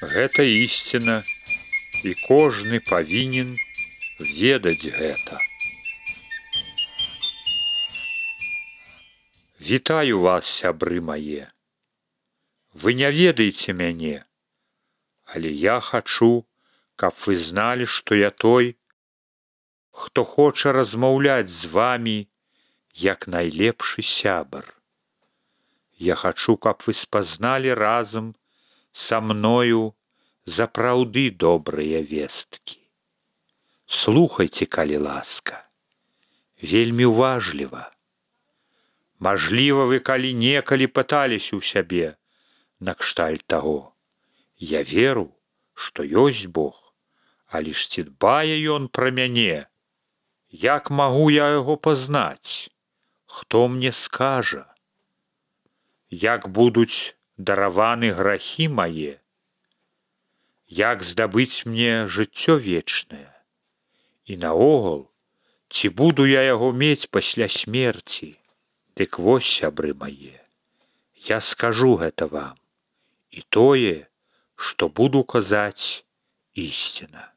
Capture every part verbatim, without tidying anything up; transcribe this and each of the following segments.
Гэта ісціна, і кожны павінен ведаць гэта. Вітаю вас, сябры мае. Вы не ведаеце мяне, але я хачу, каб вы зналі, што я той, хто хоча размаўляць з вамі, як найлепшы сябар. Я хачу, каб вы спазналі разам са мною запраўды добрыя весткі. Слухайце, калі ласка, вельмі уважліва. Мажліва, вы калі-некалі пыталіся ў сябе накшталт таго. Я веру, што ёсць Бог, але ж ці дбае ён пра мяне? Як магу я яго пазнаць? Хто мне скажа? Як будуць дараваны грахі мае? Як здабыць мне жыццё вечнае? І наогул, ці буду я яго мець пасля смерці? Дык вось, сябры мае, я скажу гэта вам, і тое, што буду казаць, ісціна.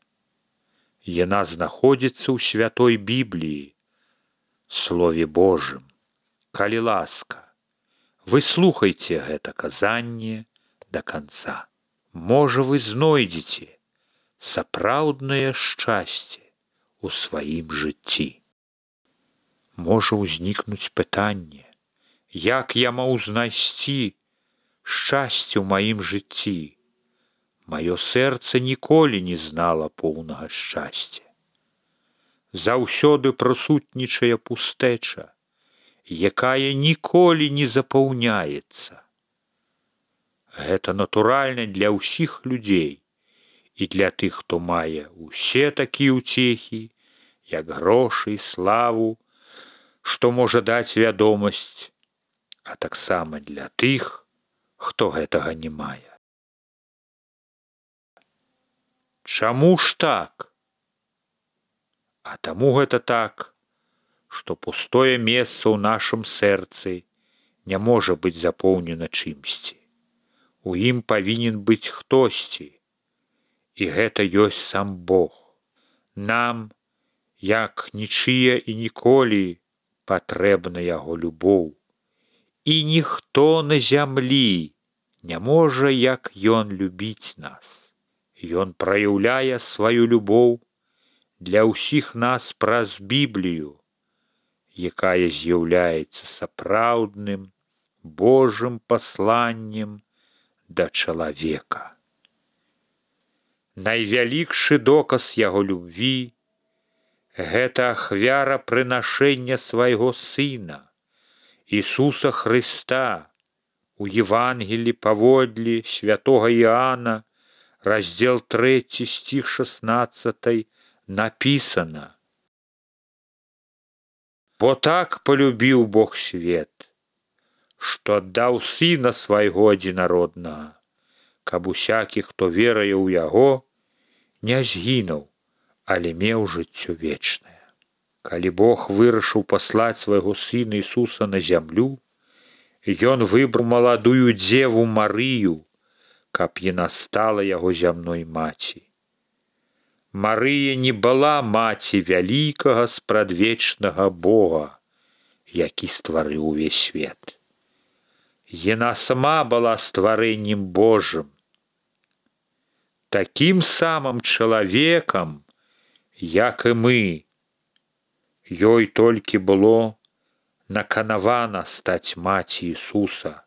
Яна знаходзіцца ў святой Бібліі, Слове Божым. Калі ласка, вы слухайце гэта казанне да канца. Можа, вы знойдзеце сапраўднае шчасце ў сваім жыцці. Можа ўзнікнуць пытанне, як я магу знайсці шчасце ў маім жыцці? Маё сэрца ніколі не знала поўнага шчасця. Заўсёды прысутнічае пустэча, якая ніколі не запаўняецца. Гэта натуральна для ўсіх людзей і для тых, хто мае ўсе такія ўцехі, як грошы, славу, што можа даць вядомасць, а таксама для тых, хто гэтага не мае. Чаму ж так? А таму гэта так, што пустое месца ў нашым сэрцы не можа быць запоўнена чымсьці. У ім павінен быць хтосьці, і гэта ёсць сам Бог. Нам, як нічыя і ніколі, патрэбна яго любоў. І ніхто на зямлі не можа, як ён любіць нас. Ён праяўляе сваю любоў для ўсіх нас праз Біблію, якая з'яўляецца сапраўдным Божым пасланнем да чалавека. Найвялікшы доказ яго любві — гэта ахвяра прынашэння свайго Сына, Ісуса Хрыста. У Евангелі паводле святога Іоанна, раздзел трэці, стих шаснаццаты, напісана: «Бо так полюбіў Бог свет, што аддаў Сына свайго адзінароднага, каб усякі, хто веруе ў Яго, не згінуў, але меў жыццё вечнае». Калі Бог вырашыў паслаць свайго Сына Ісуса на зямлю, Ён выбраў маладую дзеву Марыю, каб яна стала яго зямной маці. Марыя не была маці вялікага спрадвечнага Бога, які стварыў увесь свет. Яна сама была стварэннем Божым. Такім самым чалавекам, як і мы, ёй толькі было наканавана стаць маці Ісуса,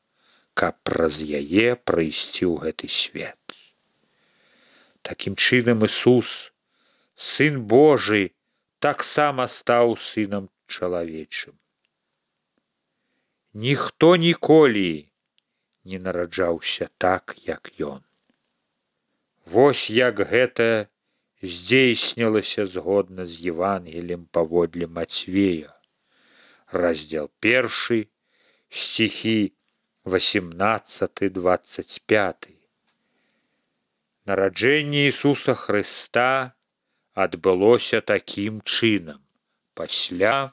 каб праз яе прыйсці ў гэты свет. Такім чынам Ісус, Сын Божы, таксама стаў сынам чалавечым. Ніхто ніколі не нараджаўся так, як Ён. Вось як гэта здзейснілася згодна з Евангеліем паводле Мацвея, раздзел першы, стихі васемнаццаты дваццаць пяты. Нараджэнне Ісуса Хрыста адбылося такім чынам. Пасля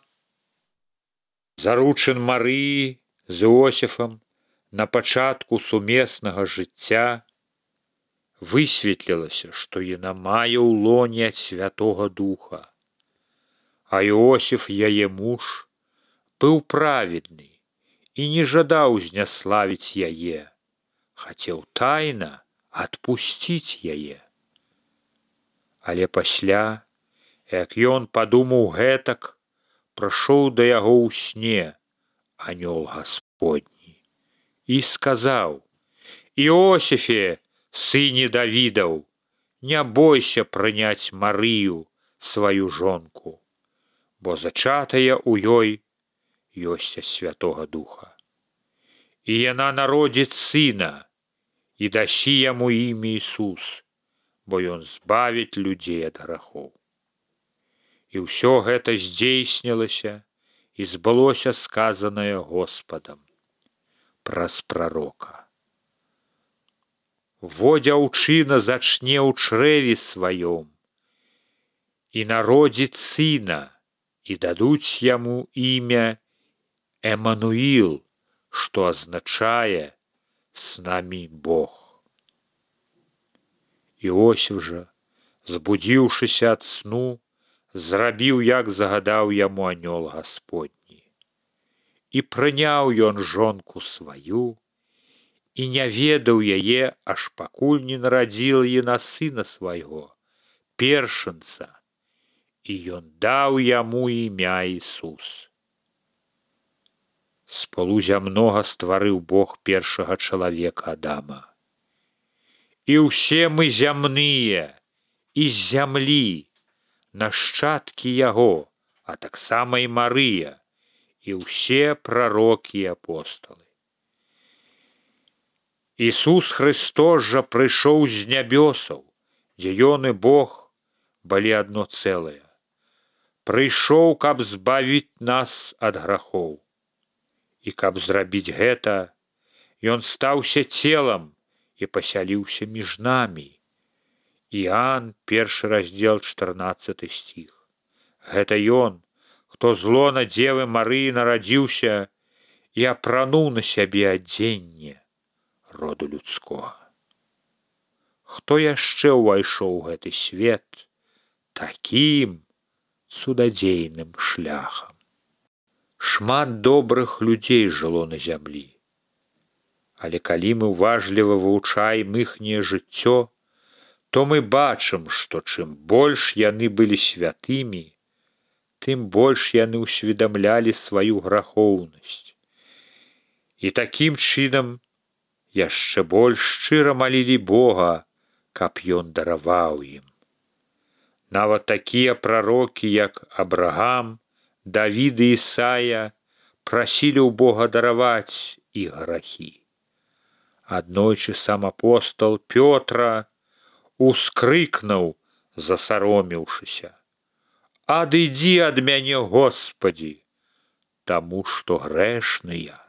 заручын Марыі з Іосіфам на пачатку сумеснага жыцця высветлілася, што яна мае ў лоне ад Святога Духа. А Іосіф, яе муж, быў праведны і не жадаў зняславіць яе, хацеў тайна адпусціць яе. Але пасля, як ён падумаў гэтак, прыйшоў да яго ў сне анёл Гасподні і сказаў: «Іосіфе, сыне Давідаў, не бойся прыняць Марыю, сваю жонку, бо зачатая ў ёй ёсць ад Святога Духа. І яна народзіць сына, і дасі яму імя Ісус, бо ён збавіць людзей ад грахоў». І ўсё гэта здзейснілася, і збылося сказанае Господам праз прарока: «Во дзяўчына зачне ў чрэве сваём і народзіць сына, і дадуць яму імя Эмануіл, што азначае «з намі Бог». Іосіф жа, збудзіўшыся ад сну, зрабіў, як загадаў яму анёл Гасподні. І прыняў ён жонку сваю, і не ведаў яе, аж пакуль не нарадзіла яна сына свайго, першынца, і ён даў яму імя Ісус. З пылу зямнога стварыў Бог першага чалавека Адама. І ўсе мы зямныя, і з зямлі, нашчадкі яго, а таксама і Марыя, і ўсе прарокі і апосталы. Ісус Христос жа прыйшоў з нябёсаў, дзе ён і Бог былі адно цэлае. Прыйшоў, каб збавіць нас ад грахоў. І каб зрабіць гэта, ён стаўся целам і пасяліўся між намі. Іоанн, першы раздзел, чатырнаццаты стих. Гэта ён, хто з лона Дзевы Марыі нарадзіўся і апрануў на сябе адзенне роду людскога. Хто яшчэ ўвайшоў у гэты свет такім цудадзейным шляхам? Шмат добрых людзей жыло на зямлі. Але калі мы уважліва вывучаем іхняе жыццё, то мы бачым, што чым больш яны былі святымі, тым больш яны ўсведамлялі сваю грахоўнасць. І такім чынам яшчэ больш шчыра малілі Бога, каб ён дараваў ім. Нават такія прарокі, як Абрагам, Давід і Ісая, прасілі ў Бога дараваць іх грахі. Аднойчы сам апостол Пётра ускрыкнуў, засаромеўшыся: «Адыдзі ад мяне, Господі, таму што грэшны я».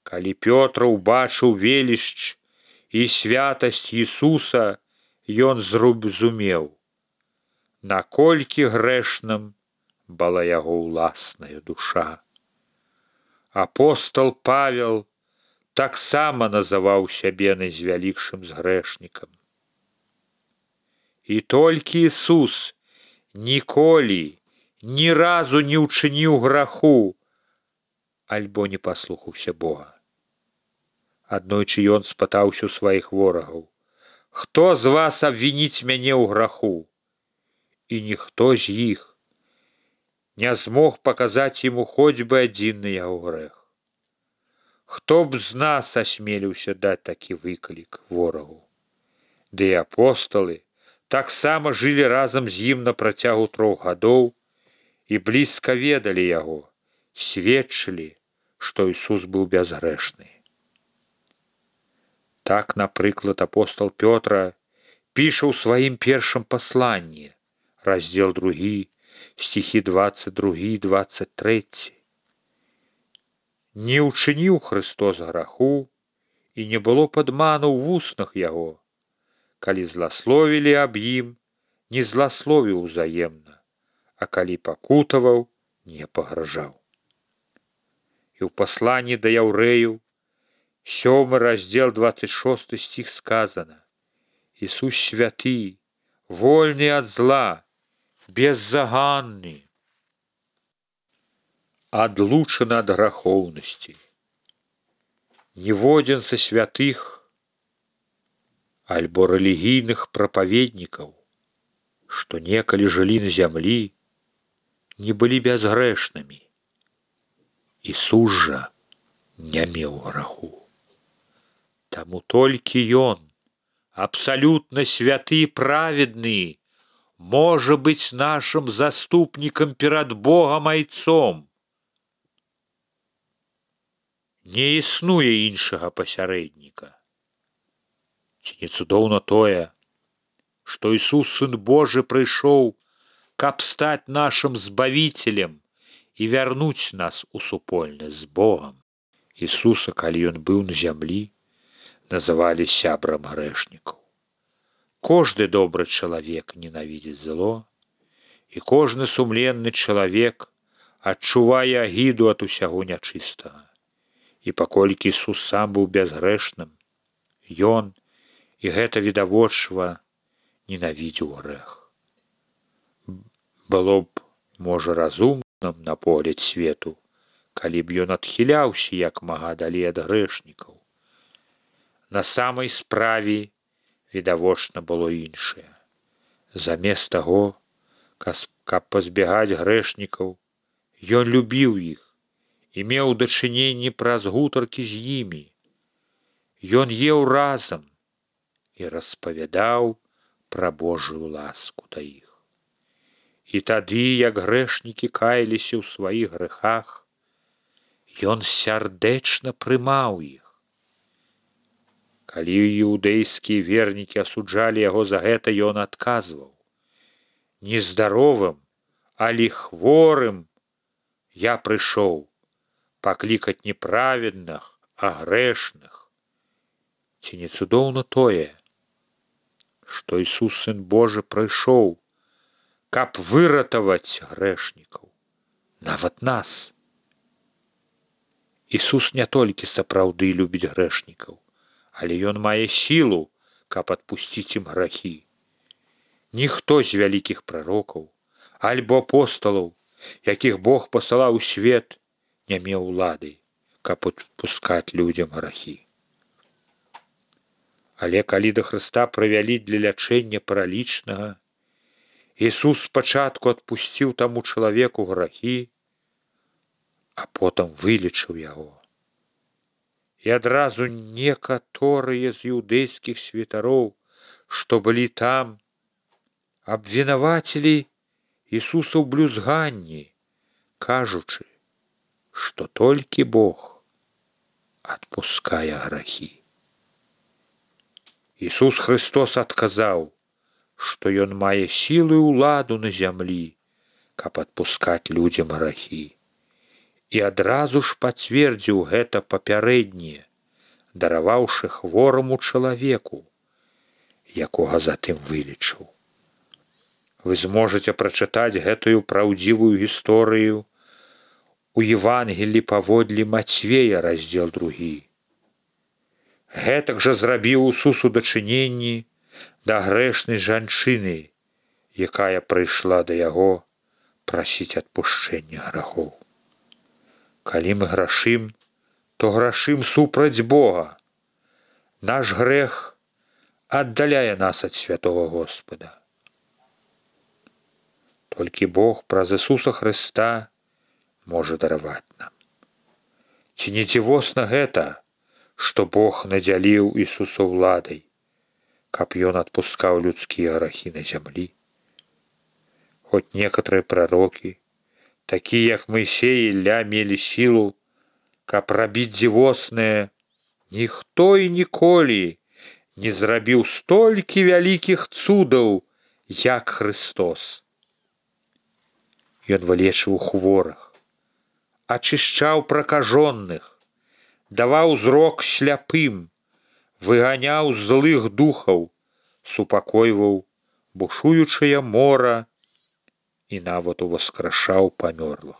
Калі Пётр убачыў велічч і святасць Ісуса, ён зразумеў, наколькі грэшным была яго ўласная душа. Апостол Павел таксама называў сябе найзвялікшым з грэшнікам. І толькі Ісус ніколі, ні разу не ўчыніў граху, альбо не паслухаўся Бога. Аднойчы ён спытаўся ў сваіх ворагаў: «Хто з вас абвініць мяне ў граху?» І ніхто з іх не змог паказаць яму хоць бы адзін на яго грэх. Хто б з нас асмеліўся даць такі выклік ворагу? Ды і апосталы таксама жылі разам з ім на працягу трох гадоў і блізка ведалі яго, сведчылі, што Ісус быў бязгрэшны. Так, напрыклад, апостол Пётра піша ў сваім першым пасланні, раздзел другі, стихі дваццаць другі і дваццаць трэці. «Не ўчыніў Христос граху, і не было падману ў вуснах яго. Калі зласловілі аб ім, не зласловіў узаемна, а калі пакутаваў, не пагражаў». І ў пасланні да яўрэяў, сёмы раздзел, дваццаць шосты стих сказана: Ісус святы, вольны ад зла, беззаганны, адлучаны ад грахоўнасці. Ніводзін са святых альбо рэлігійных прапаведнікаў, што некалі жылі на зямлі, не былі бязгрэшнымі. Ісус жа не меў граху. Таму толькі Ён, абсалютна святы і праведны, можа быць нашым заступнікам перад Богам Айцом. Не існуе іншага пасярэдніка. Ці не цудоўна тое, што Ісус, Сын Божы, прыйшоў, каб стаць нашым збавіцелем і вярнуць нас у супольнасць з Богам. Ісуса, калі Ён быў на зямлі, называлі сябрам грэшнікаў. Кожны добры чалавек ненавідзіць зло, і кожны сумленны чалавек адчувае агіду ад усяго нячыстага. І паколькі Ісус сам быў бязгрэшным, Ён, і гэта відавочва, ненавідзеў грэх. Было б, можа, разумным на погляд свету, калі б ён адхіляўся як мага далей ад грэшнікаў. На самай справе відавочна было іншае. Замест таго, каб пазбягаць грэшнікаў, ён любіў іх і меў дачыненні праз гутаркі з імі. Ён еў разам і распавядаў пра Божую ласку да іх. І тады, як грэшнікі каяліся ў сваіх грэхах, ён сардэчна прымаў іх. Калі іўдэйскія вернікі асуджалі яго за гэта, ён адказваў: «Нездаровым, але хворым я прыйшоў паклікаць не праведных, а грэшных». Ці не цудоўна тое, што Ісус, Сын Божы, прыйшоў, каб выратаваць грэшнікаў, нават нас. Ісус не толькі сапраўды любіць грэшнікаў, але ён мае сілу, каб адпусціць ім грахі. Ніхто з вялікіх прарокаў альбо апосталаў, якіх Бог пасылаў у свет, не меў улады, каб адпускаць людзям грахі. Але калі да Хрыста прывялі для лячэння паралічнага, Ісус спачатку адпусціў таму чалавеку грахі, а потым вылечыў яго. І адразу некаторыя з іўдэйскіх святароў, што былі там, абвінавацілі Ісуса ў блюзганні, кажучы, што толькі Бог адпускае грахі. Ісус Хрыстос адказаў, што ён мае сілу і ўладу на зямлі, каб адпускаць людзям грахі. І адразу ж пацвердзіў гэта папярэдняе, дараваўшы хвораму чалавеку, якога затым вылечыў. Вы зможаце прачытаць гэтую праўдзівую гісторыю у Евангелі паводле Мацвея, раздзел другі. Гэтак жа зрабіў Ісус у дачыненні да грэшнай жанчыны, якая прыйшла да яго прасіць адпушчэння грахоў. Калі мы грашым, то грашым супраць Бога. Наш грэх аддаляе нас ад святого Господа. Толькі Бог праз Ісуса Хрыста можа дараваць нам. Ці не дзівосна гэта, што Бог надзяліў Ісуса ўладай, каб ён адпускаў людскія грахі на зямлі? Хоць некаторыя прарокі, такія як Мойсей і Ілля, мелі сілу, каб рабіць дзівоснае, ніхто і ніколі не зрабіў столькі вялікіх цудаў, як Хрыстос. Ён вылечваў хворых, ачышчаў пракажоных, даваў зрок сляпым, выганяў злых духаў, супакойваў бушуючае мора і нават уваскрашаў памёрлых.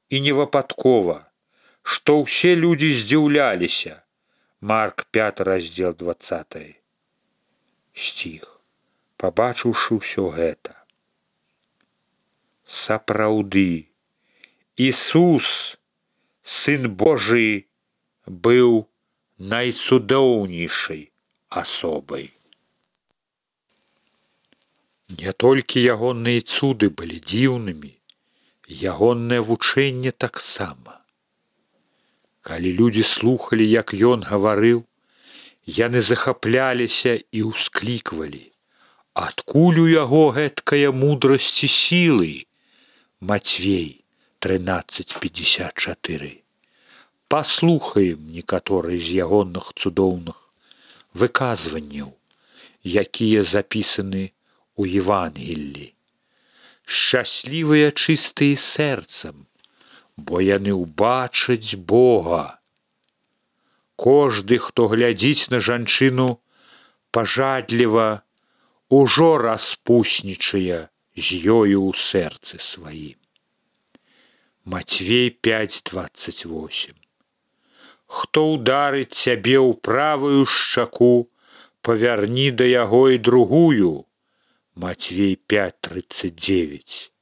І не выпадкова, што ўсе людзі здзіўляліся, Марк пяты раздзел дваццаты. сціх, пабачыўшы ўсё гэта. Сапраўды, Ісус, Сын Божий, быў найцудоўнейшай асобай. Не толькі ягоныя цуды былі дзіўнымі, ягонае вучэнне таксама. Калі людзі слухалі, як ён гаварыў, яны захапляліся і ўскліквалі: адкуль у яго гэткая мудрасць і сілы? Мацвей трынаццаць пятьдесят четыре. Паслухаем некаторыя з ягоных цудоўных выказванняў, якія запісаны у Евангеллі. Шчаслівыя чыстыя сэрцам, бо яны ўбачаць Бога. Кожды, хто глядзіць на жанчыну пажадліва, ужо распуснічае з ёю ў сэрцы сваім. Мацвей пять двадцать восемь. Хто ударыць цябе ў правую шчаку, павярні да яго і другую. Мацвей пять тридцать девять.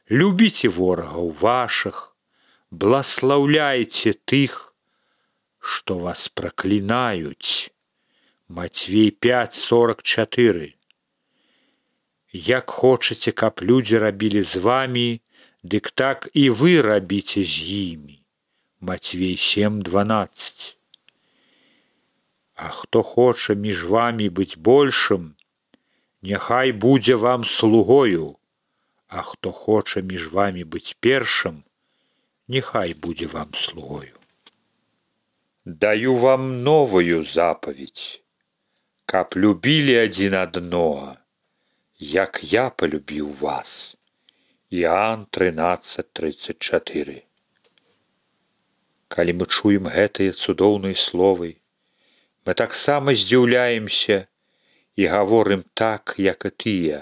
Любіце ворагаў вашых, бласлаўляйце тых, што вас праклінаюць. Мацвей пять сорок четыре. Як хочаце, каб людзі рабілі з вамі, дык так і вы рабіце з імі. Мацвей семь дванадцать. А хто хоча між вамі быць большым, няхай будзе вам слугою, а хто хоча між вамі быць першым, няхай будзе вам слугою. Даю вам новую запаведь, каб любілі адзін аднога, як я полюбіў вас. Іоанн тринадцать тридцать четыре. Калі мы чуем гэтыя цудоўныя словы, мы таксама здзіўляемся і гаворым так, як і тыя,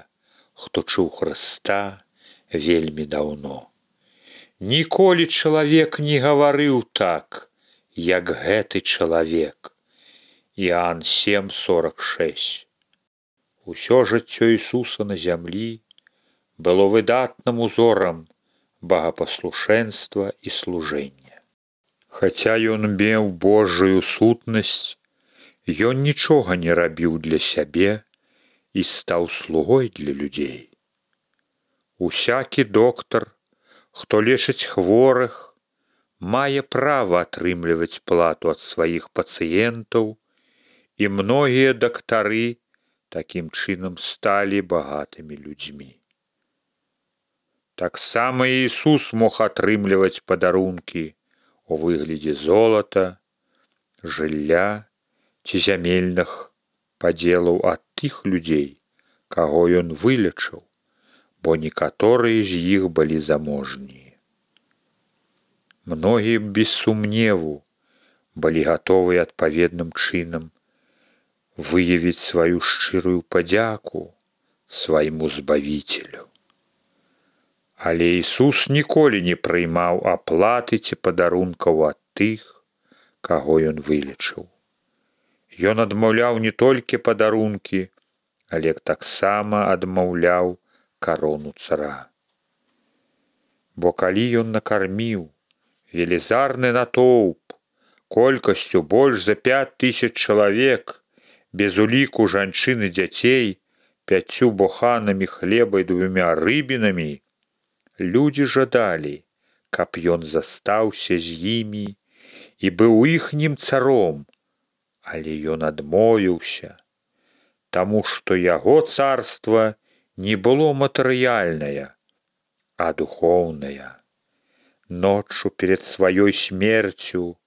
хто чуў Хрыста вельмі даўно. Ніколі чалавек не гаварыў так, як гэты чалавек. Іоанн семь сорок шесть. Усё жыццё Ісуса на зямлі было выдатным узорам багапаслушэнства і служэння. Хаця ён меў Божую сутнасць, ён нічога не рабіў для сябе і стаў слугой для людзей. Усякі доктар, хто лечыць хворых, мае права атрымліваць плату ад сваіх пацыентаў, і многія дактары такім чынам сталі багатымі людзьмі. Таксама Ісус мог атрымліваць падарункі у выглядзе золата, жылля ці зямельных падзелаў ад тых людзей, каго ён вылечыў, бо некаторыя з іх былі заможнія. Многія без сумневу былі гатовыя адпаведным чынам выявіць сваю шчырую падзяку свайму збавіцелю. Але Ісус ніколі не прыймаў аплаты ці падарункаў ад тых, каго ён вылечыў. Ён адмаўляў не толькі падарункі, але таксама адмаўляў карону цара. Бо калі ён накарміў велізарны натоўп колькасцю больш за пять тысяч чалавек, без уліку жанчын і дзяцей, пяццю боханамі хлеба і двумя рыбінамі, людзі жадалі, каб ён застаўся з імі і быў іхнім царом, але ён адмовіўся, таму што яго царства не было матэрыяльнае, а духоўнае. Ноччу перед сваёй смерцю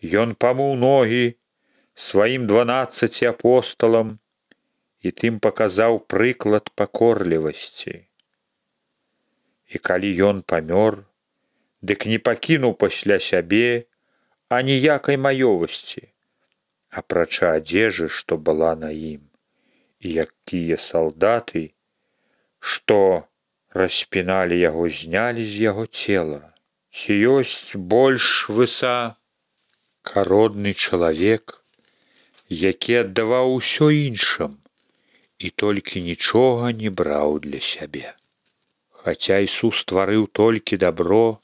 ён памыў ногі сваім дванаццаці апосталам і тым паказаў прыклад пакорлівасці. І калі ён памёр, дык не пакінуў пасля сябе аніякай маёмасці, апрача адзежы, што была на ім, і якія салдаты, што распіналі яго, знялі з яго цела. Ці ёсць больш высакародны чалавек, які аддаваў усё іншым і толькі нічога не браў для сябе. Хаця Ісус стварыў толькі дабро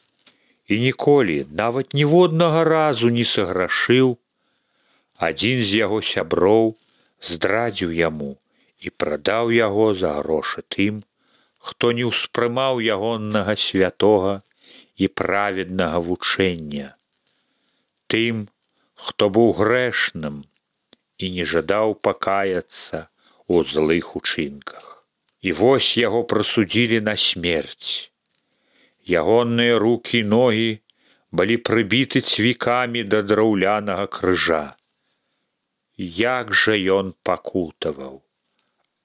і ніколі, нават ніводнага разу не саграшыў, адзін з яго сяброў здрадзіў яму і прадаў яго за грошы тым, хто не ўспрымаў ягоннага святога і праведнага вучэння, тым, хто быў грэшным і не жадаў пакаяцца ў злых учынках. І вось яго прысудзілі на смерць. Ягонныя рукі і ногі былі прыбіты цвікамі да драўлянага крыжа. Як жа ён пакутаваў!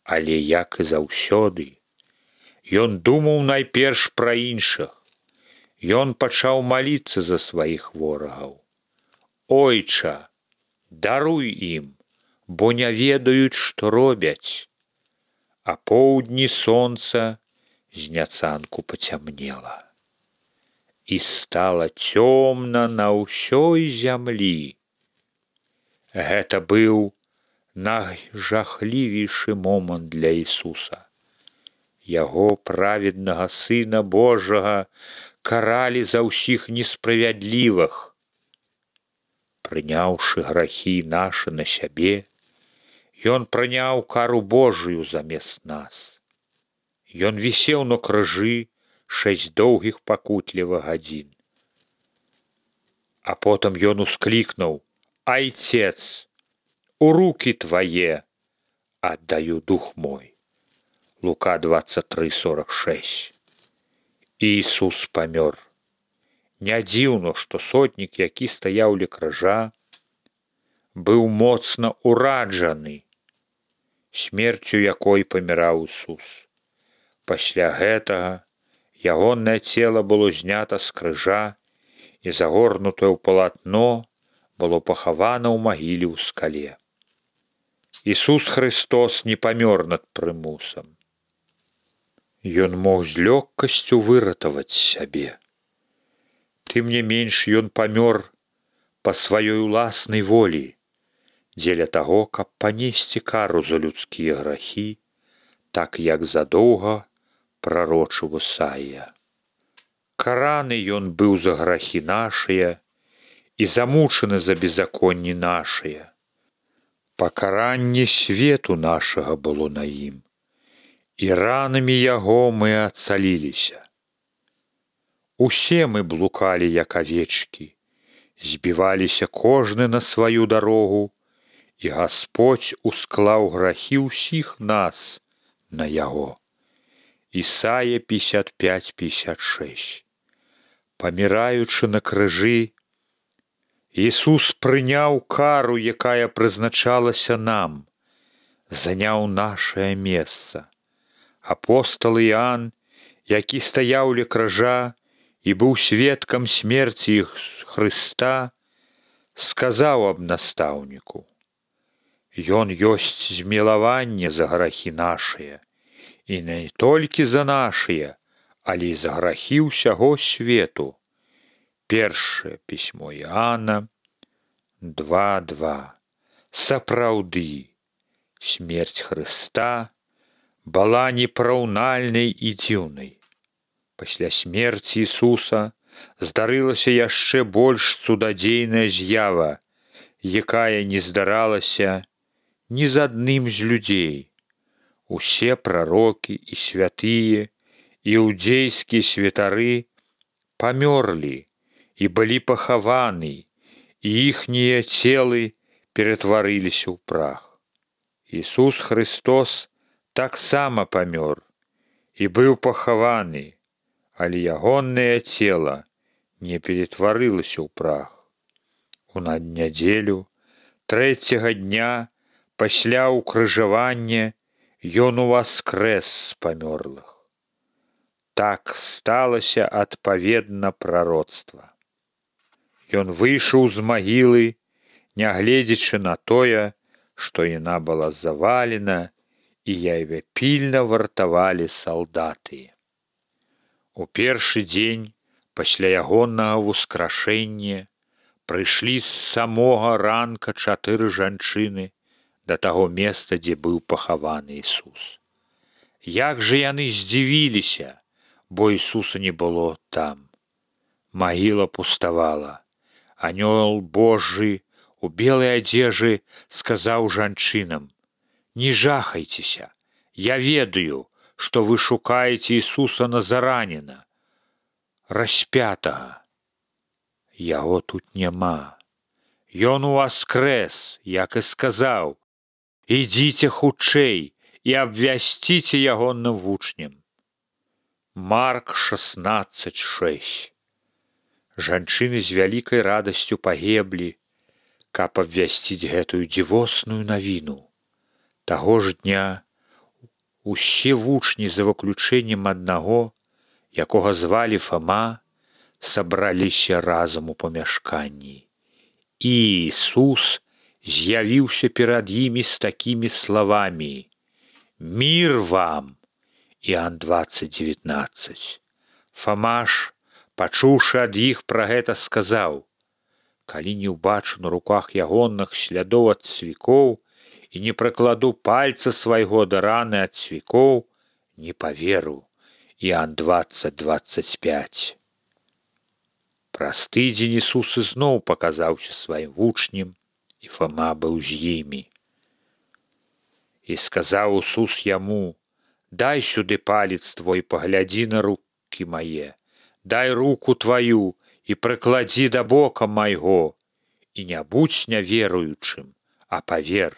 Але, як і заўсёды, ён думаў найперш пра іншых. Ён пачаў маліцца за сваіх ворагаў. Ойча, даруй ім, бо не ведаюць, што робяць. А поўдні сонца зняцанку пацямнела. І стала цёмна на ўсёй зямлі. Гэта быў найжахлівейшы момант для Ісуса. Яго, праведнага Сына Божага, каралі за ўсіх несправядлівых. Прыняўшы грахі нашы на сябе, Ён прыняў кару Божую замест нас. Ён вісеў на крыжы шэсць доўгіх пакутлівых гадзін. А потым ён усклікнуў: «Айцец, у рукі твае аддаю дух мой». Лука двадцать три сорок шесть. Ісус памёр. Не дзіўна, што сотнік, які стаяў ля крыжа, быў моцна ўраджаны смерцю, якой паміраў Ісус. Пасля гэтага ягонае цела было знята з крыжа і загорнутае ў палатно было пахавана ў магіле ў скале. Ісус Христос не памёр над прымусам. Ён мог з лёгкасцю выратаваць сябе. Тым не менш ён памёр па сваёй уласнай волі, дзеля таго, каб панесці кару за людскія грахі, так як задоўга прарочыў Ісая. Караны ён быў за грахі нашыя і замучаны за беззаконні нашыя. Пакаранне свету нашага было на ім, і ранамі яго мы ацаліліся. Усе мы блукалі, як авечкі, збіваліся кожны на сваю дарогу, і Гасподзь усклаў грахі ўсіх нас на яго. Ісая пятьдесят пять пятьдесят шесть. Паміраючы на крыжы, Ісус прыняў кару, якая прызначалася нам, заняў нашае месца. Апостал Іан, які стаяў ля крыжа і быў сведкам смерці Хрыста, сказаў аб настаўніку: «Ён ёсць змілаванне за грахі нашыя, і не толькі за нашыя, але і за грахі ўсяго свету». Першае пісьмо Іана два два. Сапраўды, смерць Хрыста была непараўнальнай і дзіўнай. Пасля смерці Ісуса здарылася яшчэ больш цудадзейная з'ява, якая не здаралася ні з адным з людзей. Усе прарокі і святыя, іудзейскія святары памёрлі і былі пахаваны, і іхнія целы ператварыліся ў прах. Ісус Христос таксама памёр і быў пахаваны, але ягонае цела не ператварылася ў прах. У наднядзелю трэцяга дня пасля ўкрыжавання ён уваскрэс з памёрлых. Так сталася адпаведна прароцтва. Ён выйшаў з магілы, нягледзячы на тое, што яна была завалена, і яе пільна вартавалі салдаты. У першы дзень пасля ягонага ўскрашэння прыйшлі з самога ранка чатыры жанчыны да таго месца, дзе быў пахаваны Ісус. Як жа яны здзівіліся, бо Ісуса не было там. Магіла пуставала. Анёл Божы у белай адзежы сказаў жанчынам: «Не жахайцеся, я ведаю, што вы шукаеце Ісуса Назараніна, распятага. Яго тут няма. Ён уваскрэс, як і сказаў. Ідзіце хутчэй і абвясціце ягоным вучням». Марк шаснаццаць шэсць. Жанчыны з вялікай радасцю пагеблі, каб абвясціць гэтую дзівосную навіну. Таго ж дня усе вучні, за выключэннем аднаго, якога звалі Фама, сабраліся разам у памяшканні. І Ісус з'явіўся перад імі з такімі словамі: «Мір вам!» Іоанн двадцать девятнадцать. Фама ж, пачуўшы ад іх пра гэта, сказаў: «Калі не ўбачу на руках ягоных слядоў ад цвікоў і не прыкладу пальца свайго да раны ад цвікоў, не паверу». Іоанн двадцать двадцать пять. Праз тыдзень Ісус ізноў паказаўся сваім вучням, і Фама быў з імі. І сказаў Ісус яму: «Дай сюды палец твой, паглядзі на рукі мае, дай руку тваю і прыкладзі да бока майго, і не будзь няверуючым, а павер».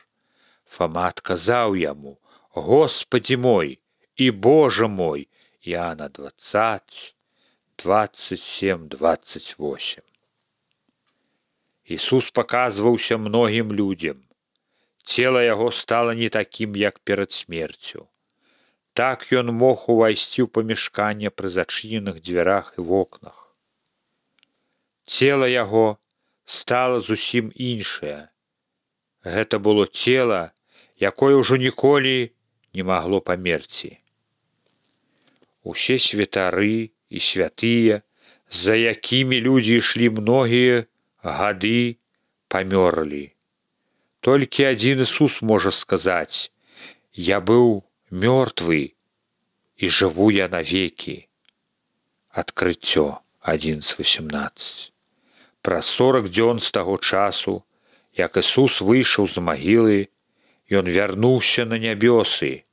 Фама адказаў яму: «Господи мой і Боже мой». Иоанна двадцать, двадцать семь, двадцать восемь. Ісус паказваўся многім людзям. Цела яго стала не такім, як перад смерцю. Так ён мог увайсці ў памяшканне пры зачыненых дзвярах і вокнах. Цела яго стала зусім іншае. Гэта было цела, якое ўжо ніколі не магло памерці. Усе святары і святыя, за якімі людзі ішлі многія гады, памёрлі. Толькі адзін Ісус можа сказаць: «Я быў мёртвы і жыву я навекі». Адкрыццё одиннадцать восемнадцать. Праз сорок дзён з таго часу, як Ісус выйшаў з магілы, ён вярнуўся на нябёсы,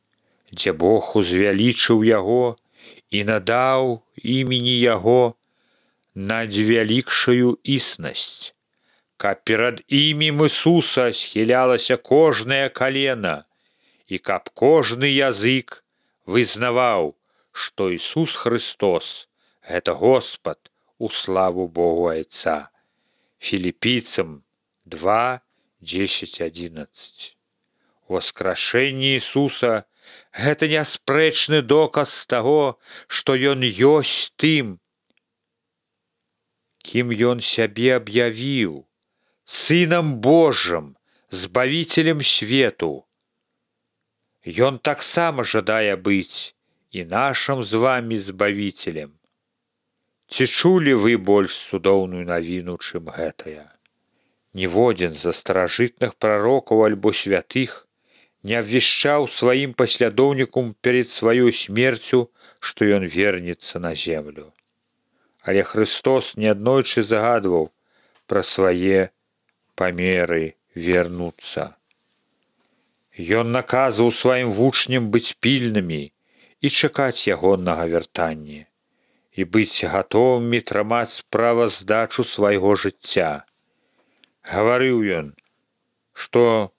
дзе Бог узвялічыў яго і надаў імені яго надвялікшую існасць, каб перад імем Ісуса схілялася кожнае калена і каб кожны язык вызнаваў, што Ісус Христос – гэта Господ у славу Богу Айца. Філіпійцам два, десять, одиннадцать. Воскрашэнне Ісуса – гэта няспрэчны доказ таго, што ён ёсць тым, кім ён сябе аб'явіў, Сынам Божым, Збавіцелем свету. Ён таксама жадае быць і нашым з вамі Збавіцелем. Ці чулі вы больш цудоўную навіну, чым гэтая? Ніводзін з старажытных прарокаў альбо святых не абвяшчаў сваім паслядоўнікам перед сваёй смерцю, што ён вернецца на землю. Але Христос неаднойчы загадваў пра свае памеры вернуцца. Ён наказваў сваім вучням быць пільнымі і чакаць ягонага вяртання, і быць гатовымі трымаць справаздачу свайго жыцця. Гаварыў ён, што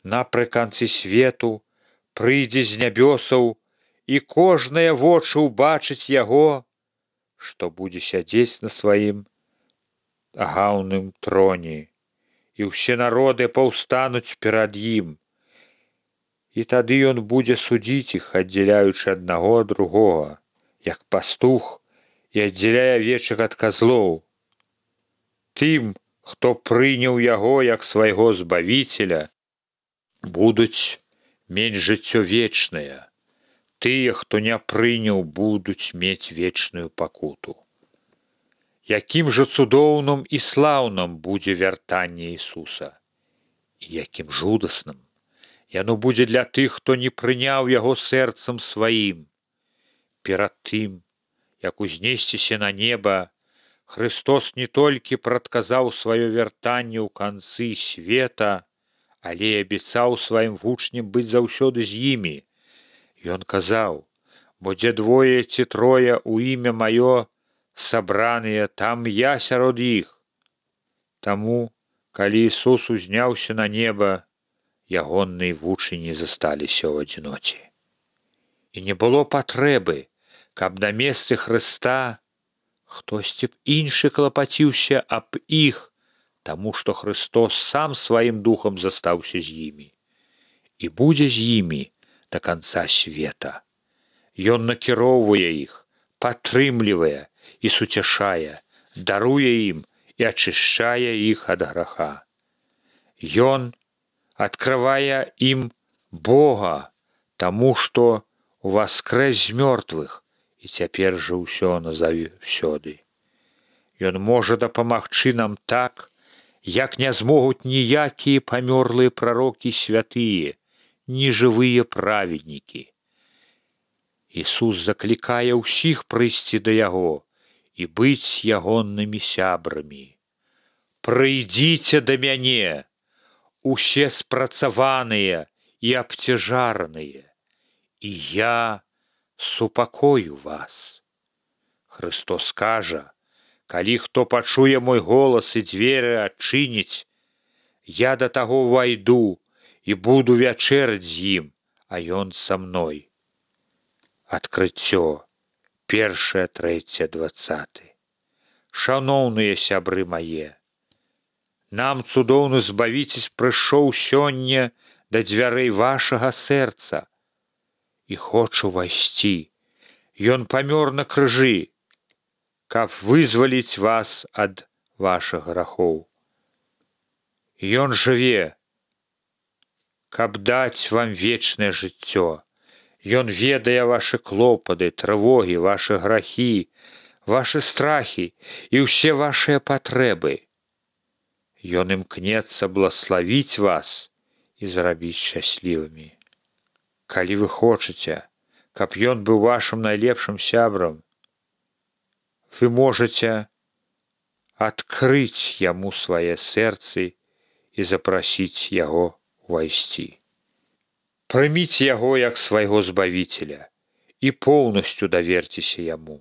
напрыканцы свету прыйдзе з нябёсаў, і кожнае вочы ўбачыць яго, што будзе сядзець на сваім агаўным троне, і ўсе народы паўстануць перад ім. І тады ён будзе судзіць іх, аддзяляючы аднаго ад другога, як пастух і аддзяляе авечак ад казлоў. Тым, хто прыняў яго як свайго Збавіцеля, будуць мець жыццё вечнае. Тыя, хто не прыняў, будуць мець вечную пакуту. Якім жа цудоўным і слаўным будзе вяртанне Ісуса, і якім жудасным. Яно будзе для тых, хто не прыняў яго сэрцам сваім. Перад тым, як узнесціся на неба, Христос не толькі прадказаў сваё вяртанне ў канцы света, але і абяцаў сваім вучням быць заўсёды з імі. Ён казаў: «Бо дзе двое ці трое ў імя маё сабраныя, там я сярод іх». Таму, калі Ісус узняўся на неба, ягоныя вучні засталіся ў адзіноце. І не было патрэбы, каб на месцы Хрыста хтосьці б іншы клапаціўся аб іх, таму што Христос сам сваім духам застаўся з імі і будзе з імі да канца света. Ён накіроўвае іх, падтрымлівае і суцяшае, даруе ім і ачышчае іх ад граха. Ён адкрывае ім Бога, таму што уваскрэс з мёртвых і цяпер жа ўсё назаўсёды. Ён можа дапамагчы нам так, як не змогуць ніякія памёрлыя прарокі святыя, ні жывыя праведнікі. Ісус заклікае ўсіх прыйсці да Яго і быць ягонымі сябрамі. «Прыйдзіце да мяне, усе спрацаваныя і абцяжараныя, і я супакою вас». Христос кажа: «Калі хто пачуе мой голас і дзверы адчыніць, я да таго ўвайду і буду вячэраць з ім, а ён са мной». Адкрыццё першае, трэцяе, дваццаты. Шаноўныя сябры мае, нам цудоўны збавіцель прыйшоў сёння да дзвярэй вашага сэрца і хоча ўвайсці. Ён памёр на крыжы, каб вызваліць вас ад вашых грахоў. Ён жыве, каб даць вам вечнае жыццё. Ён ведае вашы клопаты, трывогі, вашы грахі, вашы страхі і ўсе вашыя патрэбы. Ён імкнецца блаславіць вас і зрабіць шчаслівымі. Калі вы хочаце, каб ён быў вашым найлепшым сябрам, вы можаце адкрыць яму свае сэрцы і запрасіць яго увайсці. Прыміце яго як свайго збавіцеля і поўнасцю даверцеся яму.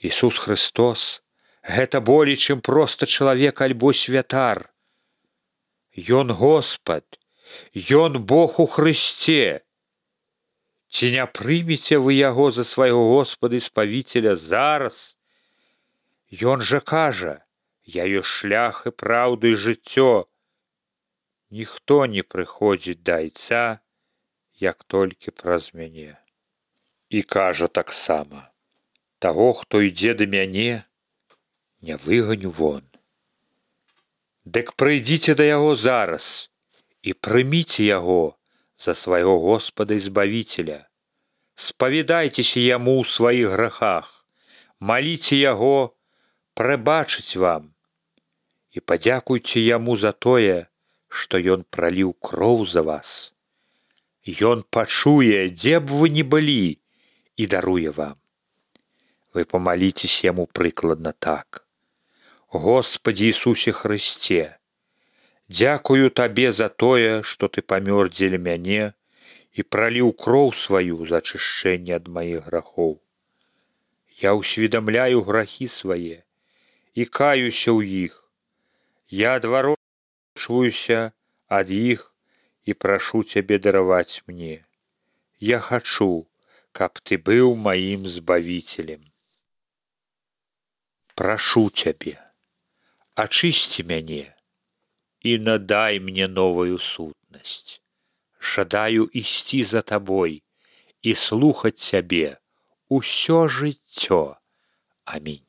Ісус Христос – гэта болей, чым проста чалавек альбо святар. Ён Господ, ён Бог у Христе. Ці не прымеце вы яго за свайго Господа і спавіцеля зараз? Ён жа кажа: «Я ёсць шлях і праўда і жыццё. Ніхто не прыходзіць да Айца, як толькі праз мяне». І кажа таксама: «Таго, хто ідзе да мяне, не выганю вон». Дык прыйдзіце да яго зараз і прыміце яго за свайго Господа і збавіцеля. Спавядайцеся яму ў сваіх грахах, маліце яго прабачыць вам і падзякуйце яму за тое, што ён праліў кроў за вас. Ён пачуе, дзе б вы ні былі, і даруе вам. Вы памаліцеся яму прыкладна так: «Господі Ісусе Христе, дзякую табе за тое, што ты памёр дзеля мяне і праліў кроў сваю за ачышчэнне ад маіх грахоў. Я ўсведамляю грахі свае і каюся ў іх. Я адварочваюся ад іх і прашу цябе дараваць мне. Я хачу, каб ты быў маім збавіцелем. Прашу цябе, ачысці мяне і надай мне новую сутнасць. Жадаю ісці за табой і слухаць цябе усё жыццё. Амінь».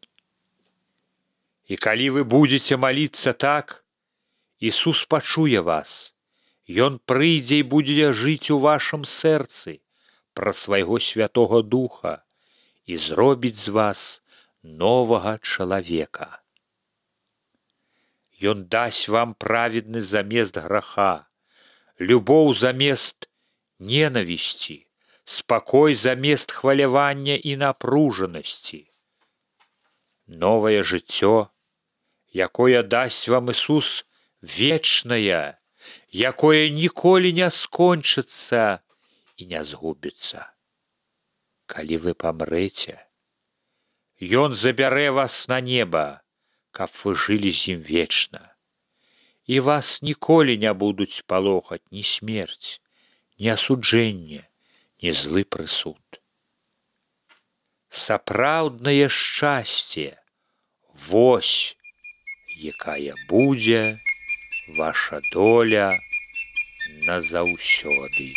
І калі вы будзеце маліцца так, Ісус пачуе вас. Ён прыйдзе і будзе жыць у вашым сэрцы праз свайго Святога Духа і зробіць з вас новага чалавека. Ён дасць вам праведны замест граха, любоў замест ненавісці, спакой замест хвалявання і напружанасці. Новае жыццё, якое дасць вам Ісус, вечнае, якое ніколі не скончыцца і не згубіцца. Калі вы памрэце, Ён забярэ вас на неба, каб вы жылі з ім вечна. І вас ніколі не будуць палохаць ні смерць, ні асуджэнне, ні злы прысуд. Сапраўднае шчасце, вось, якая будзе ваша доля назаўсёды.